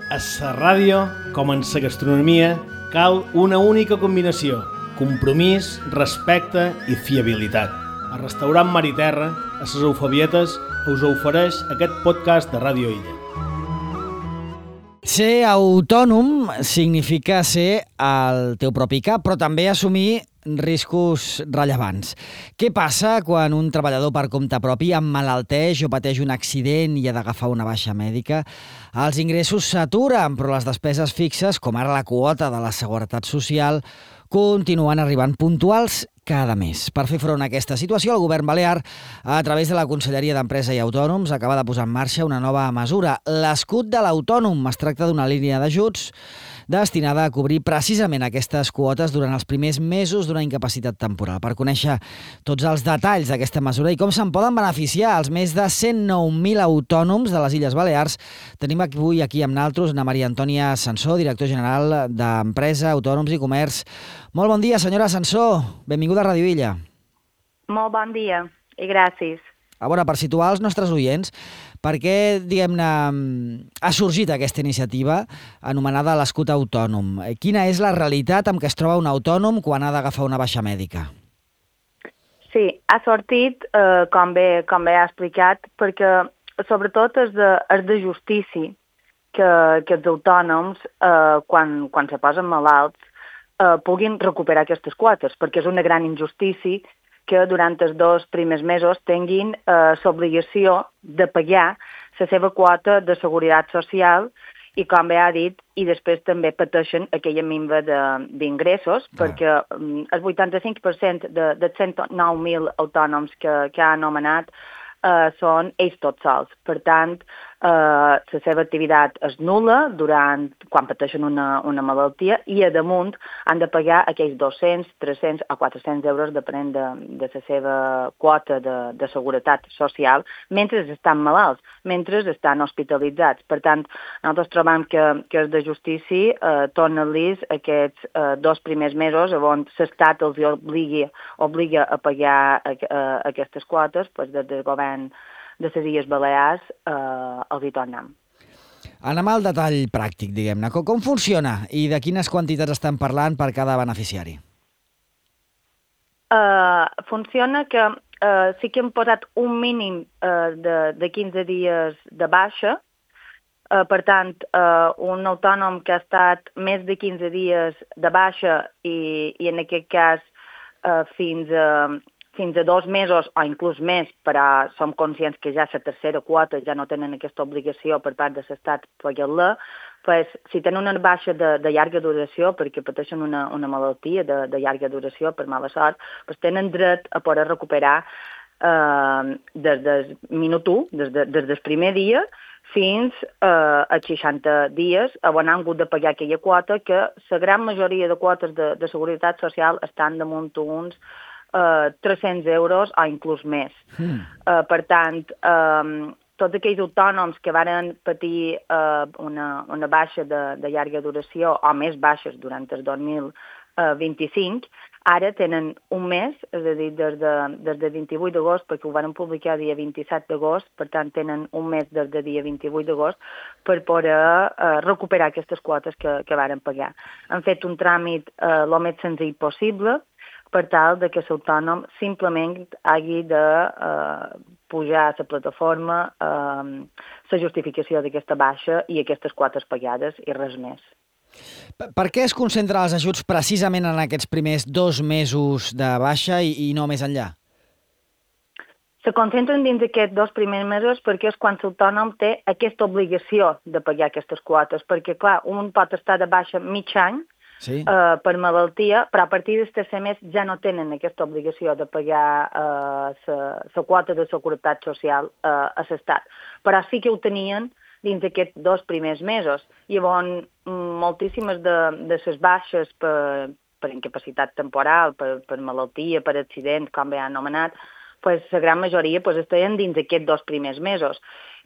A la ràdio, com en la gastronomia, cal una única combinació: compromís, respecte i fiabilitat. A Restaurant Mar i Terra, a les Eufabietes, us ofereix aquest podcast de Ràdio Illa. Ser autònom significa ser el teu propi cap, però també assumir riscos rellevants. Què passa quan un treballador per compte propi emmalalteix o pateix un accident i ha d'agafar una baixa mèdica? Els ingressos s'aturen, però les despeses fixes, com ara la quota de la Seguretat Social, continuen arribant puntuals cada mes. Per fer front a aquesta situació, el govern balear, a través de la Conselleria d'Empresa i Autònoms, acaba de posar en marxa una nova mesura, l'escut de l'autònom. Es tracta d'una línia d'ajuts destinada a cobrir precisament aquestes quotes durant els primers mesos d'una incapacitat temporal. Per conèixer tots els detalls d'aquesta mesura i com se'n poden beneficiar els més de 109.000 autònoms de les Illes Balears, tenim avui aquí amb naltros Ana Maria Antònia Sansó, director general d'Empresa, Autònoms i Comerç. Molt bon dia, senyora Sansó. Benvinguda a Ràdio Illa. Molt bon dia i gràcies. A veure, per situar els nostres oients, per què, diguem-ne, ha sorgit aquesta iniciativa anomenada l'escut autònom? Quina és la realitat amb què es troba un autònom quan ha d'agafar una baixa mèdica? Sí, ha sortit, com bé ha explicat, perquè sobretot és de justícia que els autònoms, quan se posen malalts, puguin recuperar aquestes quotes, perquè és una gran injustícia que durant els 2 primers mesos tinguin l'obligació de pagar la seva quota de seguretat social i, com bé ha dit, i després també pateixen aquella minva d'ingressos, perquè el 85% dels 109.000 autònoms que ha anomenat són ells tots sols. Per tant, la seva activitat és nul·la quan pateixen una malaltia i, a damunt, han de pagar aquells 200, 300 o 400 euros depenent de la seva quota de seguretat social mentre estan malalts, mentre estan hospitalitzats. Per tant, nosaltres trobem que és de justícia tornar-los aquests 2 primers mesos on l'Estat els obliga a pagar aquestes quotes, des del govern de les Illes Balears els hi tornem. Anem al detall pràctic, diguem-ne. Com funciona i de quines quantitats estan parlant per cada beneficiari? Funciona que sí que hem posat un mínim de 15 dies de baixa. Per tant, un autònom que ha estat més de 15 dies de baixa i en aquest cas fins a 2 mesos o inclús més, però som conscients que ja la tercera quota ja no tenen aquesta obligació per part de l'Estat pagar-la, si tenen una baixa de llarga duració, perquè pateixen una malaltia de llarga duració per mala sort, tenen dret a poder recuperar des del minut 1, des del primer dia, fins a 60 dies, on han hagut de pagar aquella quota, que la gran majoria de quotes de seguretat social estan damunt uns 300 euros o inclús més. Per tant, tots aquells autònoms que varen patir una baixa de llarga duració o més baixes durant el 2025, ara tenen un mes, és a dir, des del 28 d'agost, perquè ho van publicar el dia 27 d'agost, per tant tenen un mes des del dia 28 d'agost per poder recuperar aquestes quotes que varen pagar. Han fet un tràmit el més senzill possible, per tal que l'autònom simplement hagi de pujar a la plataforma la justificació d'aquesta baixa i aquestes quotes pagades i res més. Per què es concentren els ajuts precisament en aquests primers 2 mesos de baixa i no més enllà? Se concentren dins d'aquests 2 primers mesos perquè és quan l'autònom té aquesta obligació de pagar aquestes quotes, perquè, clar, un pot estar de baixa mig any, sí, per malaltia, però a partir del tercer mes ja no tenen aquesta obligació de pagar la quota de seguretat social a l'Estat. Però sí que ho tenien dins d'aquests 2 primers mesos. Llavors, moltíssimes de les baixes per incapacitat temporal, per malaltia, per accident, com bé han anomenat, la gran majoria estaven dins d'aquests 2 primers mesos.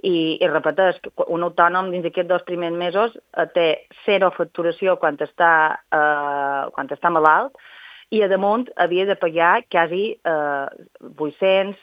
I repeteix, un autònom dins d'aquests 2 primers mesos té 0 facturació quan està malalt i a damunt havia de pagar quasi 800,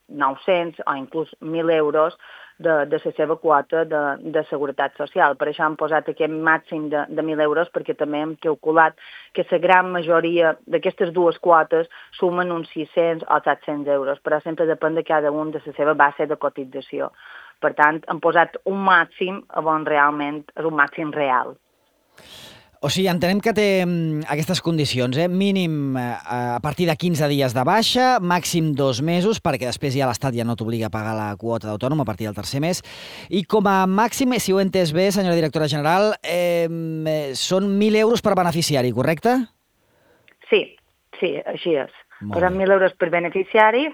900 o inclús 1.000 euros de la seva quota de seguretat social. Per això hem posat aquest màxim de 1.000 euros, perquè també hem calculat que la gran majoria d'aquestes dues quotes sumen uns 600 o 700 euros, però sempre depèn de cada un de la seva base de cotització. Per tant, hem posat un màxim on realment és un màxim real. O sigui, entenem que té aquestes condicions, mínim a partir de 15 dies de baixa, màxim 2 mesos, perquè després ja l'Estat ja no t'obliga a pagar la quota d'autònom a partir del tercer mes, i com a màxim, si ho he entès bé, senyora directora general, són 1.000 euros per beneficiari, correcte? Sí, així és. Posem 1.000 euros per beneficiari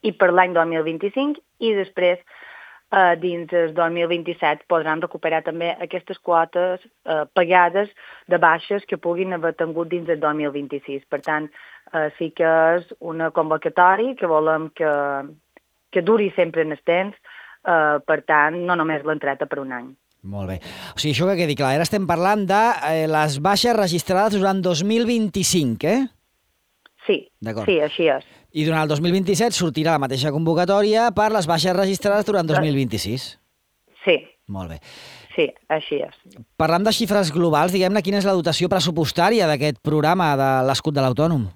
i per l'any 2025, i després dins del 2027 podran recuperar també aquestes quotes pagades de baixes que puguin haver tingut dins del 2026. Per tant, sí que és una convocatòria que volem que duri sempre en el temps, per tant, no només l'entrada per un any. Molt bé. O sigui, això que quedi clar, ara estem parlant de les baixes registrades durant 2025, Sí, així és. I durant el 2027 sortirà la mateixa convocatòria per les baixes registrades durant 2026. Sí. Molt bé. Sí, així és. Parlant de xifres globals, diguem-ne, quina és la dotació pressupostària d'aquest programa de l'escut de l'autònom?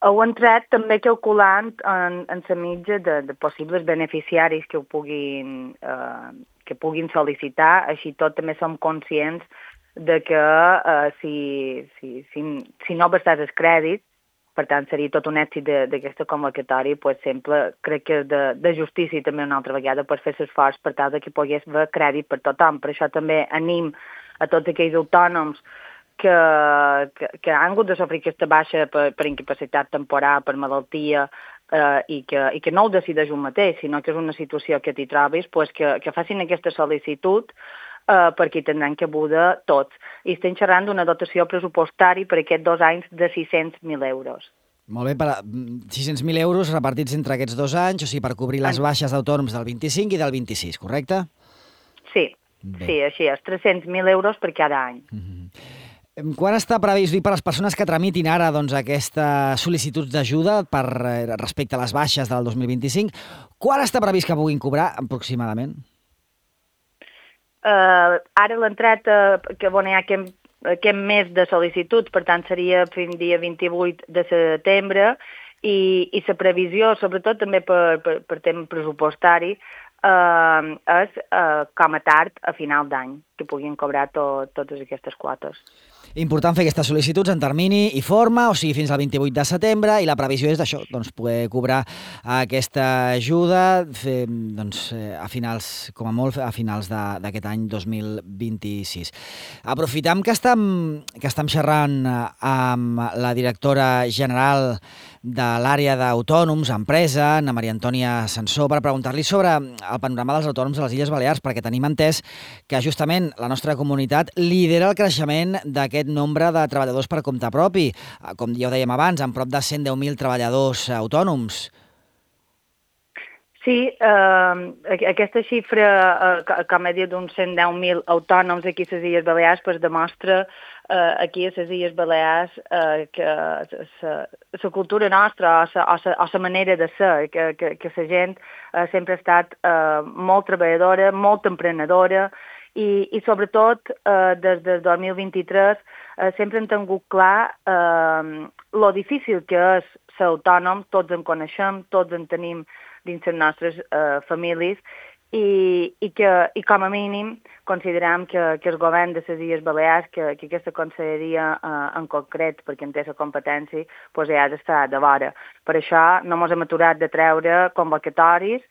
Heu entrat també calculant en la mitja de possibles beneficiaris que puguin sol·licitar. Així tot també som conscients de que si no versàs el crèdit, per tant seria tot un èxit d'aquesta convocatòria, doncs sempre crec que és de justícia també una altra vegada per fer l'esforç per tal que pogués haver crèdit per tothom. Per això també anim a tots aquells autònoms que han hagut de sofrir aquesta baixa per incapacitat temporal, per malaltia, i que no ho decideix un mateix, sinó que és una situació que t'hi trobis, doncs que facin aquesta sol·licitud, perquè hi tindran cabuda tots. I estem xerrant d'una dotació pressupostària per aquests 2 anys de 600.000 euros. Molt bé, per 600.000 euros repartits entre aquests 2 anys, o sigui, per cobrir les baixes d'autònoms del 25 i del 26, correcte? Sí, així és, 300.000 euros per cada any. Quan està previst, per les persones que tramitin ara aquesta sol·licitud d'ajuda respecte a les baixes del 2025, quan està previst que puguin cobrar aproximadament? Ara l'entrada que hi ha aquest mes de sol·licitud, per tant seria fins dia 28 de setembre, i la previsió, sobretot també per tema pressupostari, és com a tard a final d'any, que puguin cobrar totes aquestes quotes. Important fer aquestes sol·licituds en termini i forma, o sigui, fins al 28 de setembre, i la previsió és d'això, doncs, poder cobrar aquesta ajuda a finals, com a molt, a finals d'aquest any 2026. Aprofitam que estem xerrant amb la directora general de l'àrea d'autònoms, empresa, Ana Maria Antònia Sansó, per preguntar-li sobre el panorama dels autònoms a les Illes Balears, perquè tenim entès que justament la nostra comunitat lidera el creixement d'aquest nombre de treballadors per compte propi. Com ja ho dèiem abans, amb prop de 110.000 treballadors autònoms. Sí, aquesta xifra, com he dit, d'uns 110.000 autònoms aquí a les Illes Balears, doncs demostra aquí a les Illes Balears que la cultura nostra o la manera de ser, que la gent sempre ha estat molt treballadora, molt emprenedora, i sobretot des del 2023 sempre hem tingut clar lo difícil que és ser autònom, tots en coneixem, tots en tenim dins les nostres famílies, i com a mínim considerem que el govern de les Illes Balears, que aquesta conselleria en concret, perquè en té la competència, doncs ja ha d'estar de vora. Per això no ens hem aturat de treure convocatoris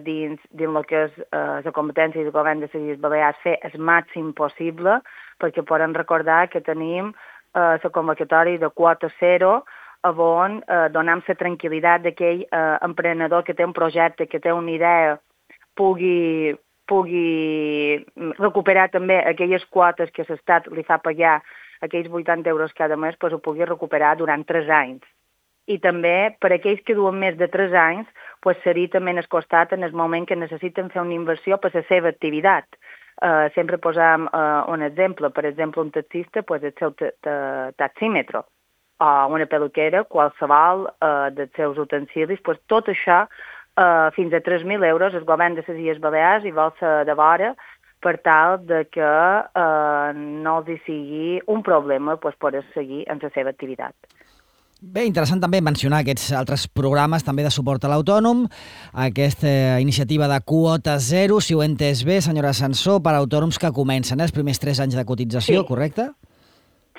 dins el que és la competència del govern de les Illes Balears, fer el màxim possible, perquè podem recordar que tenim la convocatòria de quota zero, on donem la tranquil·litat d'aquell emprenedor que té un projecte, que té una idea, pugui recuperar també aquelles quotes que l'Estat li fa pagar, aquells 80 euros cada mes, doncs ho pugui recuperar durant 3 anys. I també per aquells que duen més de 3 anys, doncs seria també en el costat en el moment que necessiten fer una inversió per la seva activitat. Sempre posam un exemple. Per exemple, un taxista, doncs el seu taxímetre, o una peluquera, qualsevol dels seus utensilis, doncs tot això fins a 3.000 euros el govern de les Illes Balears i vol ser de vora per tal de que no els hi sigui un problema poder seguir en la seva activitat. Bé, interessant també mencionar aquests altres programes també de suport a l'autònom, aquesta iniciativa de quota zero, si ho he entès bé, senyora Sansó, per a autònoms que comencen els primers 3 anys de cotització, correcte?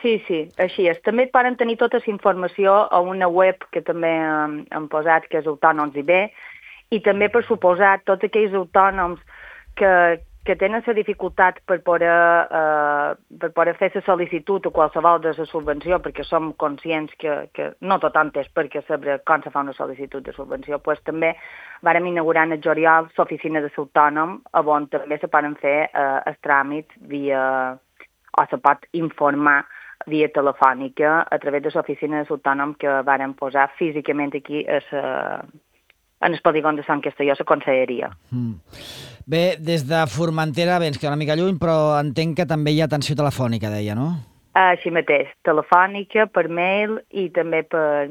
Sí, així és. També poden tenir tota la informació a una web que també hem posat, que és Autònoms IB, i també, per suposat, tots aquells autònoms que tenen la dificultat per poder fer la sol·licitud o qualsevol de la subvenció, perquè som conscients que no tothom té per què saber com se fa una sol·licitud de subvenció, doncs també vàrem inaugurar en el juliol l'oficina de l'autònom, on també se poden fer els tràmits o se pot informar via telefònica a través de l'oficina de l'autònom que vàrem posar físicament aquí en el polígon de Sant Castelló, la conselleria. Bé, des de Formentera, bé, ens queda una mica lluny, però entenc que també hi ha atenció telefònica, deia, no? Així mateix, telefònica, per mail i també per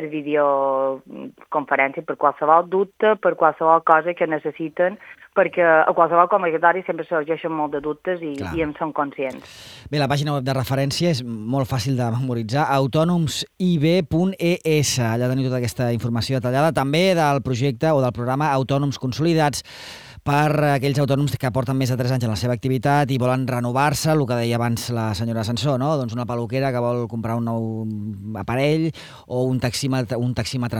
videoconferència, per qualsevol dubte, per qualsevol cosa que necessiten, perquè a qualsevol convocatori sempre sorgeixen molt de dubtes i en són conscients. Bé, la pàgina web de referència és molt fàcil de memoritzar, autonomsib.es. Allà teniu tota aquesta informació detallada, també del projecte o del programa Autònoms Consolidats, per aquells autònoms que porten més de 3 anys en la seva activitat i volen renovar-se, el que deia abans la senyora Sansó, no? Doncs una peluquera que vol comprar un nou aparell o un taxímetre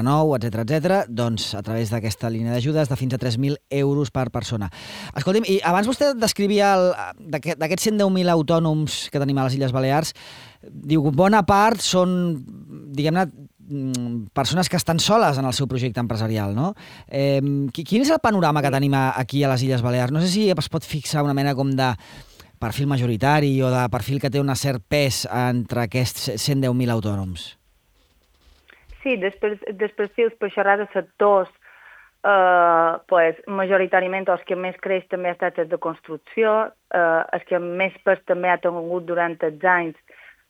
nou, etc. Doncs a través d'aquesta línia d'ajudes de fins a 3.000 euros per persona. Escolti'm, i abans vostè descrivia d'aquests 110.000 autònoms que tenim a les Illes Balears, diu que bona part són, diguem-ne, persones que estan soles en el seu projecte empresarial, no? Quin és el panorama que tenim aquí a les Illes Balears? No sé si es pot fixar una mena com de perfil majoritari o de perfil que té un cert pes entre aquests 110.000 autònoms. Sí, després per xerrar de sectors, majoritàriament els que més creix també ha estat els de construcció, els que més pes també ha tingut durant els anys,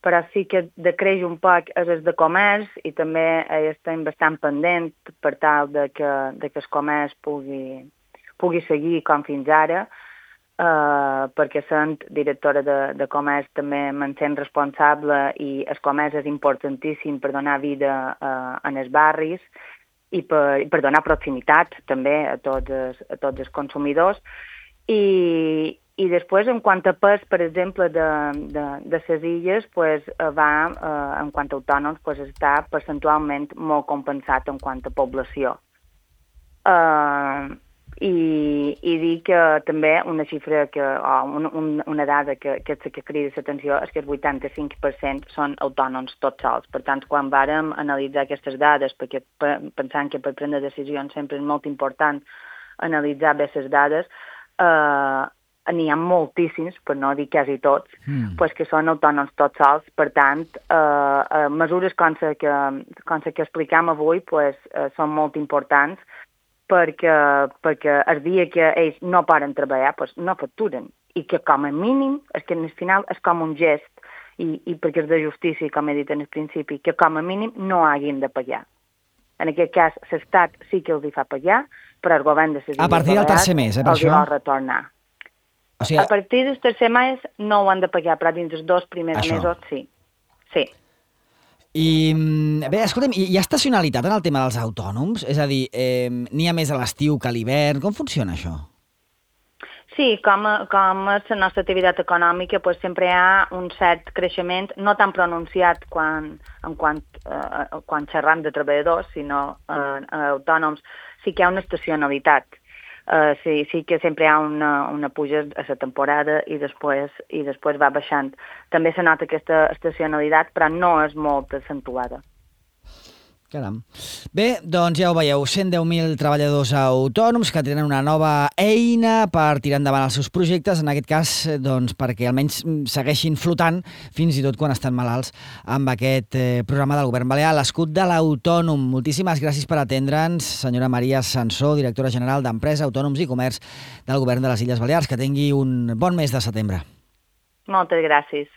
però sí que decreix un poc és el de comerç i també estem bastant pendents per tal de que el comerç pugui seguir com fins ara, perquè sent directora de comerç també me'n sent responsable i el comerç és importantíssim per donar vida en els barris i per donar proximitat també a tots els consumidors. I després, en quant a pes, per exemple, de les illes, en quant a autònoms, està percentualment molt compensat en quant a població. I dir que també una xifra, una dada que crida l'atenció és que el 85% són autònoms tots sols. Per tant, quan vàrem analitzar aquestes dades, perquè pensant que per prendre decisions sempre és molt important analitzar bé les dades, n'hi ha moltíssims, per no dir quasi tots, que són autònoms tots sols. Per tant, mesures com la que explicam avui són molt importants perquè el dia que ells no poden treballar no facturen i que com a mínim, és que al final és com un gest i perquè és de justícia, com he dit en el principi, que com a mínim no hagin de pagar. En aquest cas, l'Estat sí que els hi fa pagar, però el govern de les Illes a partir del tercer mes, per això? Els hi vol retornar. O sigui, a partir del tercer mes no ho han de pagar, però dins dels 2 primers mesos sí. Sí. I bé, escolta'm, hi ha estacionalitat en el tema dels autònoms? És a dir, n'hi ha més a l'estiu que a l'hivern? Com funciona això? Sí, com és la nostra activitat econòmica, sempre hi ha un cert creixement, no tan pronunciat quan xerram de treballadors, sinó autònoms, sí que hi ha una estacionalitat. Sí que sempre hi ha una puja a la temporada i després va baixant. També se nota aquesta estacionalitat, però no és molt accentuada. Caram. Bé, doncs ja ho veieu, 110.000 treballadors autònoms que tenen una nova eina per tirar endavant els seus projectes, en aquest cas doncs, perquè almenys segueixin flotant fins i tot quan estan malalts amb aquest programa del Govern Balear, l'escut de l'autònom. Moltíssimes gràcies per atendre'ns, senyora Maria Sansó, directora general d'Empresa, Autònoms i Comerç del Govern de les Illes Balears. Que tingui un bon mes de setembre. Moltes gràcies.